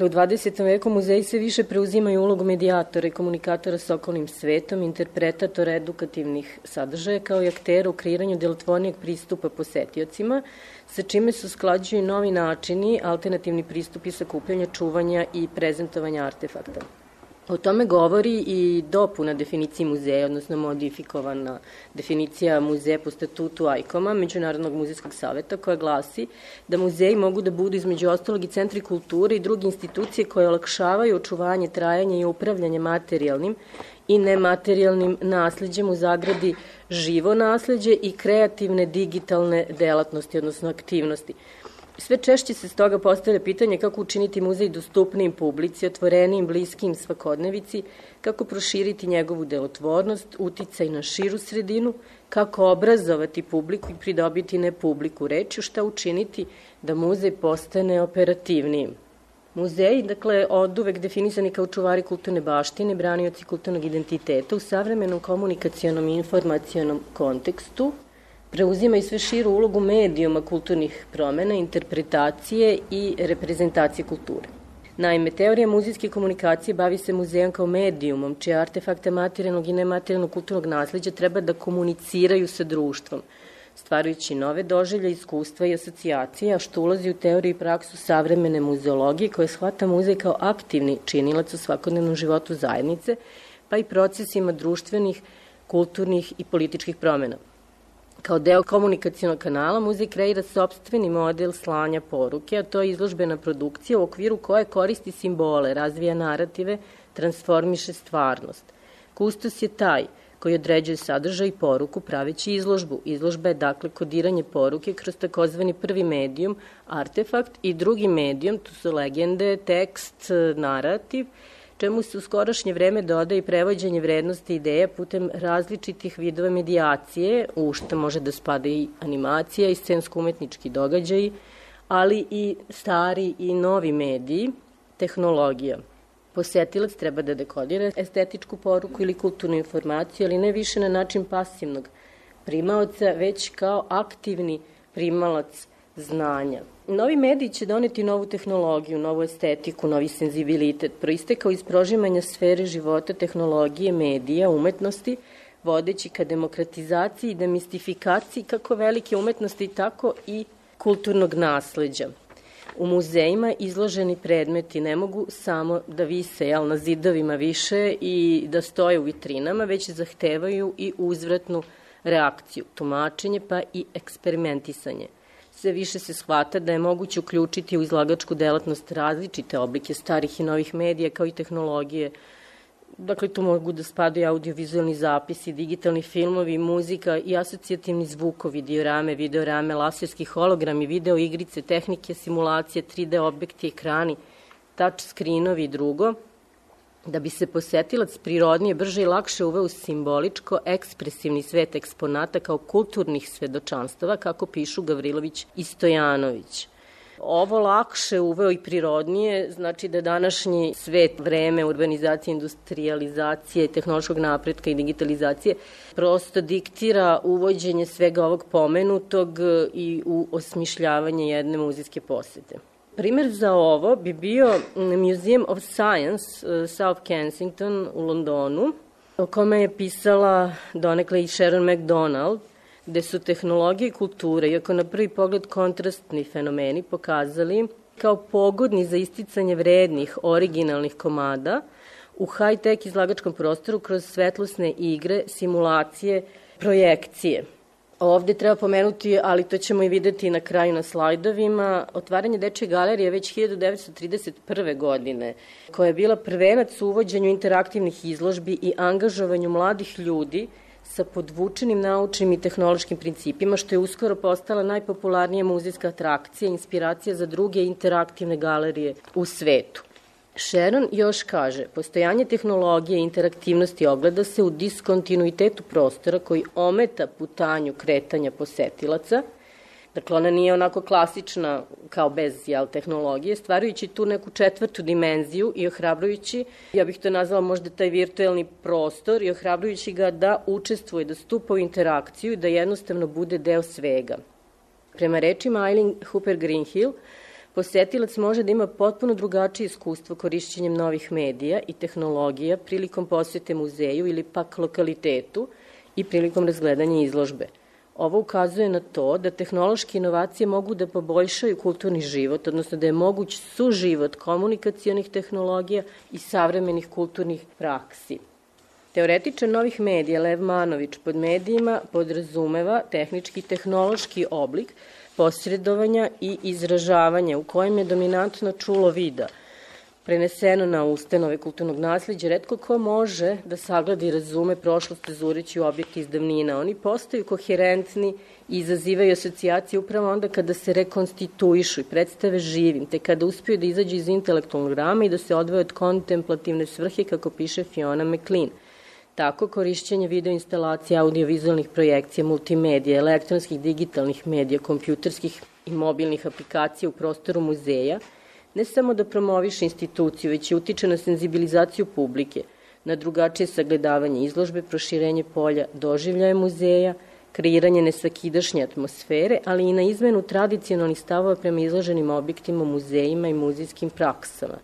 U 20. veku muzeji sve više preuzimaju ulogu medijatora i komunikatora s okolnim svetom, interpretatora edukativnih sadržaja, kao i aktera u kreiranju delotvornijeg pristupa posetiocima, sa čime se usklađuju novi načini, alternativni pristupi sakupljanja, čuvanja i prezentovanja artefakta. O tome govori i dopuna definiciji muzeja, odnosno modifikovana definicija muzeja po statutu ICOM-a, Međunarodnog muzejskog saveta, koja glasi da muzeji mogu da budu između ostalog i centri kulture i druge institucije koje olakšavaju očuvanje, trajanje i upravljanje materijalnim i nematerijalnim nasleđem, u zagradi živo nasleđe i kreativne digitalne delatnosti, odnosno aktivnosti. Sve češće se stoga postavlja pitanje kako učiniti muzej dostupnijim publici, otvorenijim, bliskim svakodnevici, kako proširiti njegovu delotvornost, uticaj na širu sredinu, kako obrazovati publiku i pridobiti ne publiku rečju, šta učiniti da muzej postane operativnijim. Muzeji, dakle, oduvek definisani kao čuvari kulturne baštine, branioci kulturnog identiteta, u savremenom komunikacionom i informacionom kontekstu, preuzimaju sve širu ulogu medijuma kulturnih promena, interpretacije i reprezentacije kulture. Naime, teorija muzejske komunikacije bavi se muzejom kao medijumom, čije artefakte materijalnog i nematerijalnog kulturnog nasleđa treba da komuniciraju sa društvom, stvarajući nove doživlje, iskustva i asocijacije, a što ulazi u teoriju i praksu savremene muzeologije, koja shvata muzej kao aktivni činilac u svakodnevnom životu zajednice, pa i procesima društvenih, kulturnih i političkih promena. Kao deo komunikacionog kanala, muzej kreira sopstveni model slanja poruke, a to je izložbena produkcija u okviru koje koristi simbole, razvija narative, transformiše stvarnost. Kustos je taj koji određuje sadržaj i poruku praveći izložbu. Izložba je dakle kodiranje poruke kroz takozvani prvi medijum, artefakt, i drugi medijum, tu su legende, tekst, narativ, čemu se u skorašnje vreme dodaje i prevođenje vrednosti ideja putem različitih vidova medijacije, u šta može da spada i animacija i scensko-umetnički događaji, ali i stari i novi mediji, tehnologija. Posetilac treba da dekodira estetičku poruku ili kulturnu informaciju, ali ne više na način pasivnog primaoca, već kao aktivni primalac znanja. Novi mediji će doneti novu tehnologiju, novu estetiku, novi senzibilitet, proistekao iz prožimanja sfere života, tehnologije, medija, umetnosti, vodeći ka demokratizaciji i demistifikaciji kako velike umetnosti, tako i kulturnog nasleđa. U muzejima izloženi predmeti ne mogu samo da vise na zidovima više i da stoje u vitrinama, već zahtevaju i uzvratnu reakciju, tumačenje pa i eksperimentisanje. Sve više se shvata da je moguće uključiti u izlagačku delatnost različite oblike starih i novih medija kao i tehnologije. Dakle, tu mogu da spadaju audiovizualni zapisi, digitalni filmovi, muzika i asocijativni zvukovi, diorame, videorame, laserski hologrami, video igrice, tehnike, simulacije, 3D objekti, ekrani, touch screenovi i drugo, da bi se posetilac prirodnije, brže i lakše uveo u simboličko-ekspresivni svet eksponata kao kulturnih svedočanstava, kako pišu Gavrilović i Stojanović. Ovo lakše uveo i prirodnije, znači da današnji svet, vreme urbanizacije, industrializacije, tehnološkog napretka i digitalizacije prosto diktira uvođenje svega ovog pomenutog i u osmišljavanje jedne muzejske posete. Primer za ovo bi bio Museum of Science South Kensington u Londonu, o kome je pisala donekle i Sharon McDonald, gde su tehnologije i kultura, iako na prvi pogled kontrastni fenomeni, pokazali kao pogodni za isticanje vrednih, originalnih komada u high-tech izlagačkom prostoru kroz svetlosne igre, simulacije, projekcije. Ovde treba pomenuti, ali to ćemo i videti na kraju na slajdovima, otvaranje Dečje galerije već 1931. godine, koja je bila prvenac u uvođenju interaktivnih izložbi i angažovanju mladih ljudi sa podvučenim naučnim i tehnološkim principima, što je uskoro postala najpopularnija muzejska atrakcija, inspiracija za druge interaktivne galerije u svetu. Sharon još kaže, postojanje tehnologije i interaktivnosti ogleda se u diskontinuitetu prostora koji ometa putanju kretanja posetilaca. Dakle, ona nije onako klasična kao bez tehnologije, stvarajući tu neku četvrtu dimenziju i ohrabrujući, ja bih to nazvala možda taj virtuelni prostor, i ohrabrujući ga da učestvuje, da stupa u interakciju i da jednostavno bude deo svega. Prema rečima Eileen Hooper Greenhill, posetilac može da ima potpuno drugačije iskustvo korišćenjem novih medija i tehnologija prilikom posete muzeju ili pak lokalitetu i prilikom razgledanja izložbe. Ovo ukazuje na to da tehnološke inovacije mogu da poboljšaju kulturni život, odnosno da je moguć suživot komunikacionih tehnologija i savremenih kulturnih praksi. Teoretičan novih medija Lev Manović pod medijima podrazumeva tehnički i tehnološki oblik posredovanja i izražavanja u kojem je dominantno čulo vida, preneseno na ustanove kulturnog nasleđa. Retko ko može da sagleda i razume prošlost azureći u objekte iz davnina. Oni postaju koherentni i izazivaju asocijacije upravo onda kada se rekonstituišu i predstave živim, te kada uspiju da izađu iz intelektualnog rama i da se odvoje od kontemplativne svrhe, kako piše Fiona McLean. Tako, korišćenje videoinstalacija, audiovizualnih projekcija, multimedija, elektronskih digitalnih medija, kompjuterskih i mobilnih aplikacija u prostoru muzeja ne samo da promoviše instituciju, već i utiče na senzibilizaciju publike, na drugačije sagledavanje izložbe, proširenje polja doživljaja muzeja, kreiranje nesvakidašnje atmosfere, ali i na izmenu tradicionalnih stavova prema izloženim objektima, muzejima i muzejskim praksama.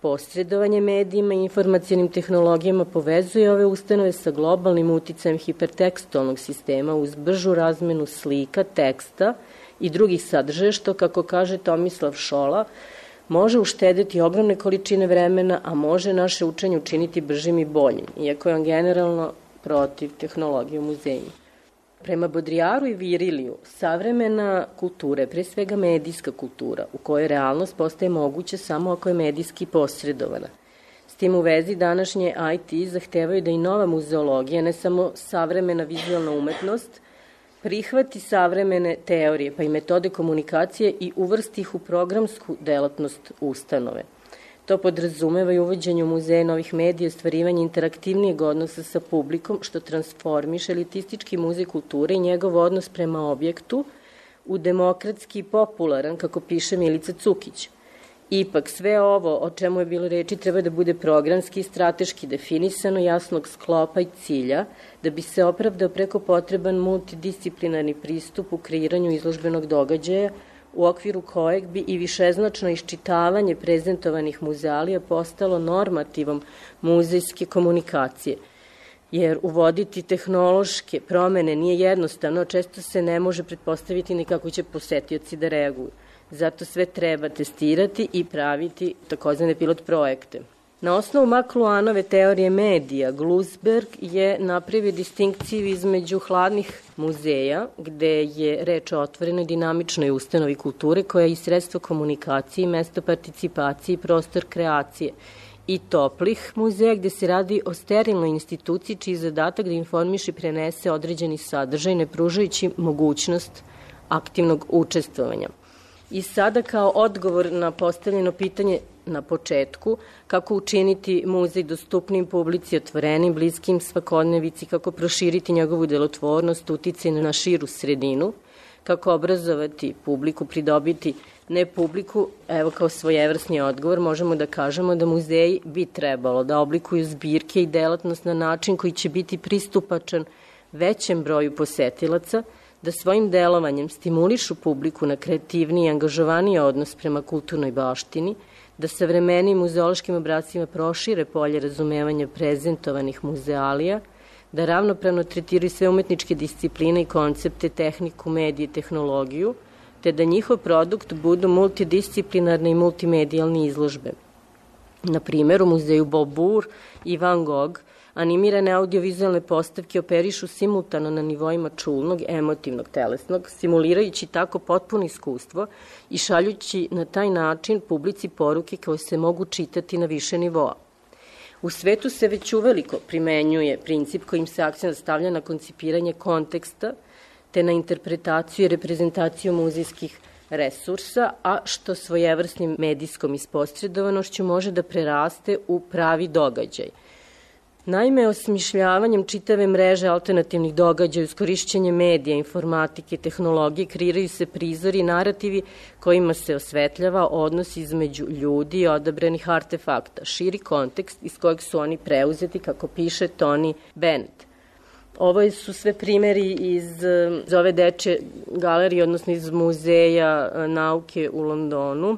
Posredovanje medijima i informacionim tehnologijama povezuje ove ustanove sa globalnim uticajem hipertekstualnog sistema uz bržu razmenu slika, teksta i drugih sadržaja, što, kako kaže Tomislav Šola, može uštedeti ogromne količine vremena, a može naše učenje učiniti bržim i boljim, iako je on generalno protiv tehnologije u muzejima. Prema Bodrijaru i Viriliju, savremena kultura je pre svega medijska kultura, u kojoj realnost postaje moguća samo ako je medijski posredovana. S tim u vezi današnje IT zahtevaju da i nova muzeologija, ne samo savremena vizualna umetnost, prihvati savremene teorije pa i metode komunikacije i uvrsti ih u programsku delatnost ustanove. To podrazumeva i uvođenje u muzeje novih medija i ostvarivanje interaktivnijeg odnosa sa publikom, što transformiše elitistički muzej kulture i njegov odnos prema objektu u demokratski i popularan, kako piše Milica Cukić. Ipak, sve ovo o čemu je bilo reči treba da bude programski i strateški definisano, jasnog sklopa i cilja, da bi se opravdao preko potreban multidisciplinarni pristup u kreiranju izložbenog događaja, u okviru kojeg bi i višeznačno iščitavanje prezentovanih muzealija postalo normativom muzejske komunikacije. Jer uvoditi tehnološke promene nije jednostavno, često se ne može pretpostaviti ni kako će posetioci da reaguju. Zato sve treba testirati i praviti takozvane pilot projekte. Na osnovu Makluanove teorije medija, Glusberg je napravio distinkciju između hladnih muzeja, gde je reč o otvorenoj dinamičnoj ustanovi kulture koja je i sredstvo komunikacije, mesto participacije i prostor kreacije, i toplih muzeja gde se radi o sterilnoj instituciji čiji je zadatak da informiše i prenese određeni sadržaj, ne pružajući mogućnost aktivnog učestvovanja. I sada kao odgovor na postavljeno pitanje na početku, kako učiniti muzej dostupnim publici, otvorenim, bliskim svakodnevici, kako proširiti njegovu delotvornost, uticaj na širu sredinu, kako obrazovati publiku, pridobiti ne publiku, evo kao svojevrsni odgovor, možemo da kažemo da muzeji bi trebalo da oblikuju zbirke i delatnost na način koji će biti pristupačan većem broju posetilaca, da svojim delovanjem stimulišu publiku na kreativniji i angažovaniji odnos prema kulturnoj baštini, da savremenim muzeološkim obrascima prošire polje razumevanja prezentovanih muzealija, da ravnopravno tretiraju sve umetničke discipline i koncepte, tehniku, medije i tehnologiju, te da njihov produkt budu multidisciplinarne i multimedijalne izložbe. Na primjer, u muzeju Beaubourg i Van Gogh animirane audiovizualne postavke operišu simultano na nivoima čulnog, emotivnog, telesnog, simulirajući tako potpuno iskustvo i šaljući na taj način publici poruke koje se mogu čitati na više nivoa. U svetu se već uveliko primenjuje princip kojim se akcent stavlja na koncipiranje konteksta, te na interpretaciju i reprezentaciju muzejskih resursa, a što svojevrsnim medijskom isposredovanošću može da preraste u pravi događaj. Naime, osmišljavanjem čitave mreže alternativnih događaja uz korišćenje medija, informatike, tehnologije, kreiraju se prizori i narativi kojima se osvetljava odnos između ljudi i odabranih artefakta, širi kontekst iz kojeg su oni preuzeti, kako piše Tony Bennett. Ovo su sve primeri iz ove dečje galerije, odnosno iz muzeja nauke u Londonu.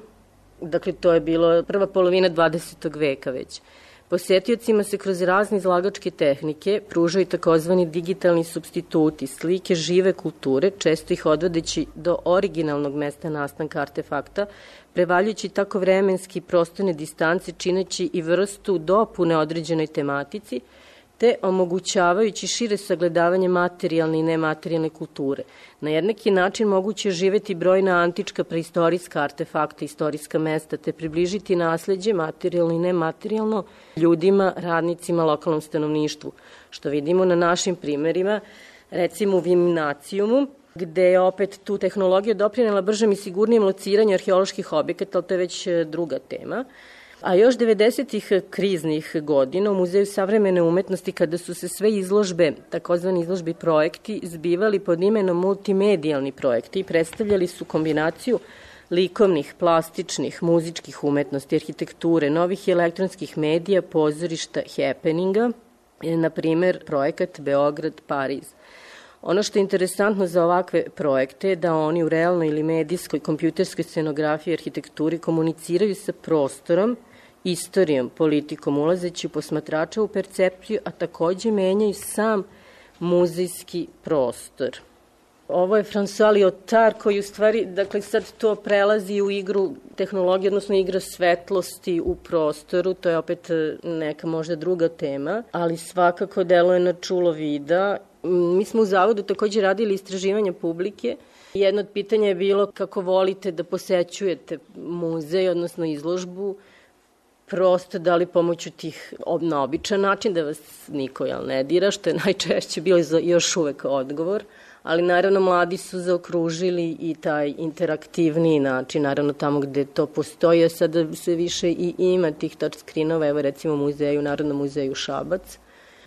Dakle, to je bilo prva polovina 20. veka već. Posetiocima se kroz razne izlagačke tehnike pružaju takozvani digitalni supstituti, slike žive kulture, često ih odvodeći do originalnog mesta nastanka artefakta, prevaljujući tako vremenski i prostorne distance, čineći i vrstu dopune određenoj tematici, te omogućavajući šire sagledavanje materijalne i nematerijalne kulture. Na jednaki način moguće je živeti brojna antička preistorijska artefakta, istorijska mesta, te približiti nasleđe, materijalno i nematerijalno, ljudima, radnicima, lokalnom stanovništvu. Što vidimo na našim primerima, recimo u Vimnacijumu, gde je opet tu tehnologija doprinela bržem i sigurnijem lociranju arheoloških objekata, ali to je već druga tema. A još 90-ih kriznih godina u Muzeju savremene umetnosti, kada su se sve izložbe, takozvani izložbi projekti, zbivali pod imenom multimedijalni projekti i predstavljali su kombinaciju likovnih, plastičnih, muzičkih umetnosti, arhitekture, novih i elektronskih medija, pozorišta, happeninga, na primer projekat Beograd-Pariz. Ono što je interesantno za ovakve projekte je da oni u realnoj ili medijskoj, kompjuterskoj scenografiji i arhitekturi komuniciraju sa prostorom, istorijom, politikom, ulazeći u posmatrača u percepciju, a takođe menjaju sam muzejski prostor. Ovo je François Lyotard koji u stvari, dakle sad to prelazi u igru tehnologije, odnosno igra svetlosti u prostoru, to je opet neka možda druga tema, ali svakako deluje na čulo vida. Mi smo u Zavodu takođe radili istraživanja publike. Jedno od pitanja je bilo kako volite da posećujete muzej, odnosno izložbu, prosto da li pomoću tih na običan način, da vas niko ne dira, što je najčešće bilo još uvek odgovor, ali naravno mladi su zaokružili i taj interaktivniji način, naravno tamo gde to postoji, a sada sve više i ima tih touchscreenova, evo recimo u Narodnom muzeju Šabac.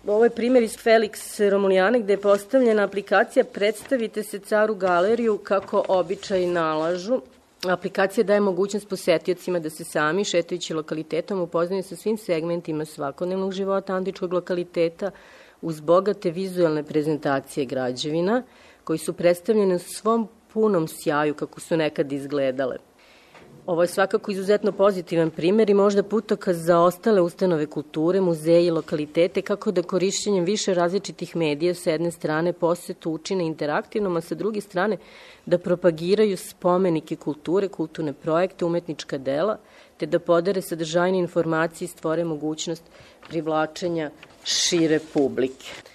Ovo je primjer iz Felix Romulijane gde je postavljena aplikacija Predstavite se caru galeriju kako običaji nalažu. Aplikacija daje mogućnost posetiocima da se sami, šetajući lokalitetom, upoznaju sa svim segmentima svakodnevnog života antičkog lokaliteta uz bogate vizualne prezentacije građevina koji su predstavljene u svom punom sjaju kako su nekad izgledale. Ovo je svakako izuzetno pozitivan primer i možda putokaz za ostale ustanove kulture, muzeje i lokalitete kako da korišćenjem više različitih medija s jedne strane posetu učine interaktivnom, a sa druge strane da propagiraju spomenike kulture, kulturne projekte, umetnička dela, te da podare sadržajne informacije i stvore mogućnost privlačenja šire publike.